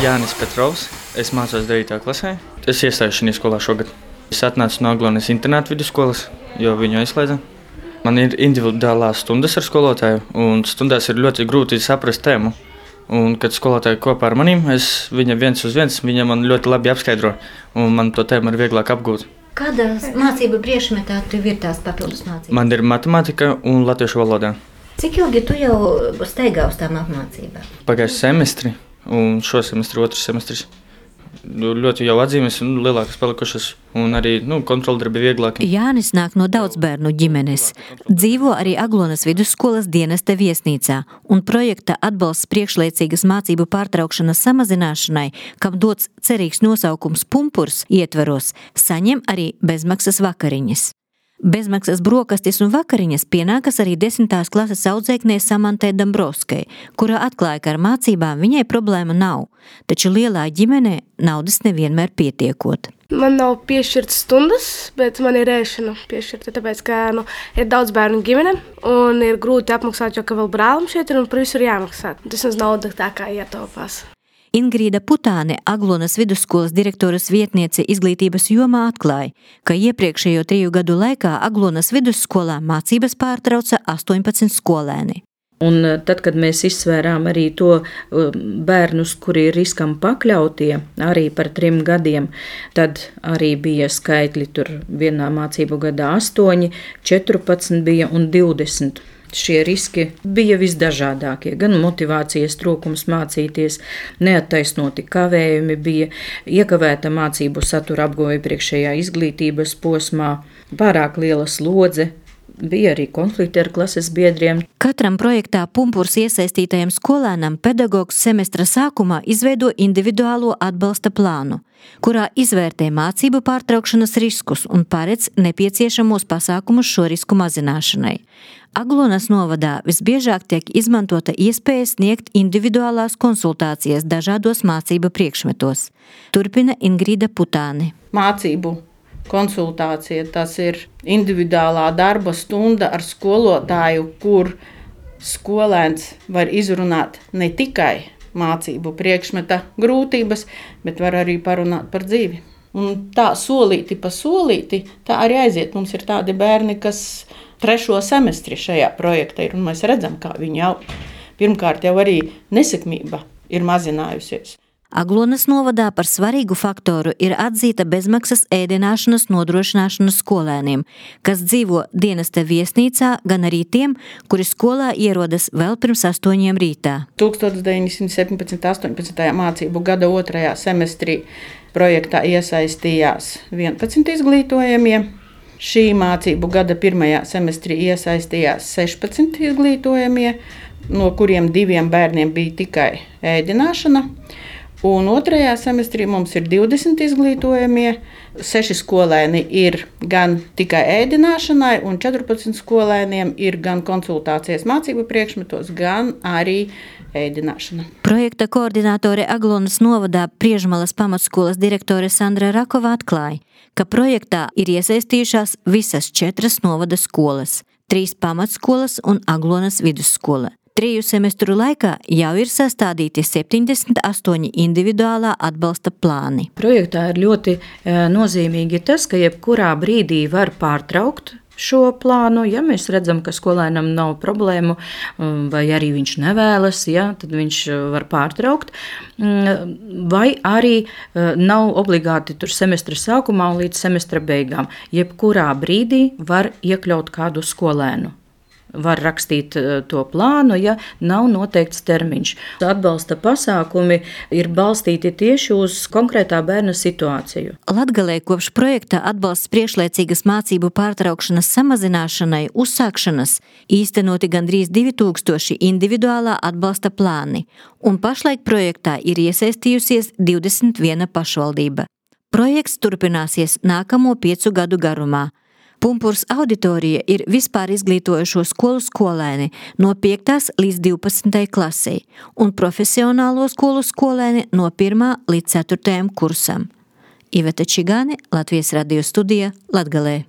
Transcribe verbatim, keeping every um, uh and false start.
Jānis Petrovs. Es mācos devītajā klasē. Es iestājos šajā skolā šogad. Es atnācu no Aglonas internāta vidusskolas, jo viņu aizslēdza. Man ir individuālās stundas ar skolotāju, un stundās ir ļoti grūti saprast tēmu. Un, kad skolotāji kopā ar maniem, es viņam viens uz viens, viņa man ļoti labi apskaidro, un man to tēmu ir vieglāk apgūt. Kādā mācību priekšmetā tev ir tās papildus mācības? Man ir matemātika un latviešu valodā. Cik ilgi tu jau steigā uz tām apmācībām? Pagājuši semestri, un šo semestri otrs semestris. Ļoti jau atzīmes un lielākas palikušas, un arī nu, kontroldarbi vieglāki. Jānis nāk no daudzbērnu ģimenes. Dzīvo arī Aglonas vidusskolas dienesta viesnīcā, un projekta atbalsts priekšlaicīgas mācību pārtraukšanas samazināšanai, kam dots cerīgs nosaukums Pumpurs ietveros, saņem arī bezmaksas vakariņas. Bezmaksas brokastis un vakariņas pienākas arī desmitās klases audzēknei Samantai Dambrovskai, kura atklāja, ka ar mācībām viņai problēma nav, taču lielā ģimenē naudas nevienmēr pietiekot. Man nav piešķirtas stundas, bet man ir ēšana piešķirta, tāpēc, ka nu, ir daudz bērnu ģimene un ir grūti apmaksāt, jo ka vēl brālim šeit ir un par visu ir jāmaksā. Tas mums nauda tā kā ietaupās. Ingrīda Putāne, Aglonas vidusskolas direktoras vietniece izglītības jomā, atklāja, ka iepriekšējo triju gadu laikā Aglonas vidusskolā mācības pārtrauca astoņpadsmit skolēni. Un tad, kad mēs izsvērām arī to bērnus, kuri ir riskam pakļautie, arī par trim gadiem, tad arī bija skaitļi tur vienā mācību gadā astoņi, četrpadsmit bija un divdesmit. Šie riski bija visdažādākie, gan motivācijas trūkums mācīties, neattaisnoti kavējumi bija, iekavēta mācību satura apguve iepriekšējā izglītības posmā, pārāk liela slodze, bija arī konflikti ar klases biedriem. Katram projektā Pumpurs iesaistītajam skolēnam pedagogs semestra sākumā izveido individuālo atbalsta plānu, kurā izvērtē mācību pārtraukšanas riskus un paredz nepieciešamos pasākumus šo risku mazināšanai. Aglonas novadā visbiežāk tiek izmantota iespēja sniegt individuālās konsultācijas dažādos mācību priekšmetos. Turpina Ingrīda Putāne. Mācību konsultācija, tas ir individuālā darba stunda ar skolotāju, kur skolēns var izrunāt ne tikai mācību priekšmeta grūtības, bet var arī parunāt par dzīvi. Un tā solīti pa solīti, tā arī aiziet. Mums ir tādi bērni, kas trešo semestri šajā projektā ir, un mēs redzam, kā viņi jau pirmkārt jau arī nesekmība ir mazinājusies. Aglonas novadā par svarīgu faktoru ir atzīta bezmaksas ēdināšanas nodrošināšana skolēniem, kas dzīvo dienesta viesnīcā, gan arī tiem, kuri skolā ierodas vēl pirms astoņiem rītā. deviņdesmit deviņi septiņpadsmit astoņpadsmit mācību gada otrajā semestrī projektā iesaistījās vienpadsmit izglītojamie. Šī mācību gada pirmajā semestrī iesaistījās sešpadsmit izglītojamie, no kuriem diviem bērniem bija tikai ēdināšana. Un otrajā semestrī mums ir divdesmit izglītojamie, seši skolēni ir gan tikai ēdināšanai, un četrpadsmit skolēniem ir gan konsultācijas mācību priekšmetos, gan arī ēdināšana. Projekta koordinātore Aglonas novadā Priežmalas pamatskolas direktore Sandra Rakova atklāja, ka projektā ir iesaistījušās visas četras novada skolas, trīs pamatskolas un Aglonas vidusskola. Triju semestru laikā jau ir sastādīti septiņdesmit astoņi individuālā atbalsta plāni. Projektā ir ļoti nozīmīgi tas, ka jebkurā brīdī var pārtraukt šo plānu, ja mēs redzam, ka skolēnam nav problēmu vai arī viņš nevēlas, ja, tad viņš var pārtraukt, vai arī nav obligāti tur semestra sākumā un līdz semestra beigām. Jebkurā brīdī var iekļaut kādu skolēnu. Var rakstīt to plānu, ja nav noteikts termiņš. Atbalsta pasākumi ir balstīti tieši uz konkrētā bērna situāciju. Latgalē kopš projekta atbalsts priekšlaicīgas mācību pārtraukšanas samazināšanai uzsākšanas īstenoti gandrīz divi tūkstoši individuālā atbalsta plāni, un pašlaik projektā ir iesaistījusies divdesmit viena pašvaldība. Projekts turpināsies nākamo piecu gadu garumā. Pumpurs auditorija ir vispār izglītojušo skolu skolēni no piektās līdz divpadsmitajai klasei un profesionālo skolu skolēni no pirmā līdz ceturtajam kursam. Iveta Čigāne, Latvijas radio studija, Latgalē.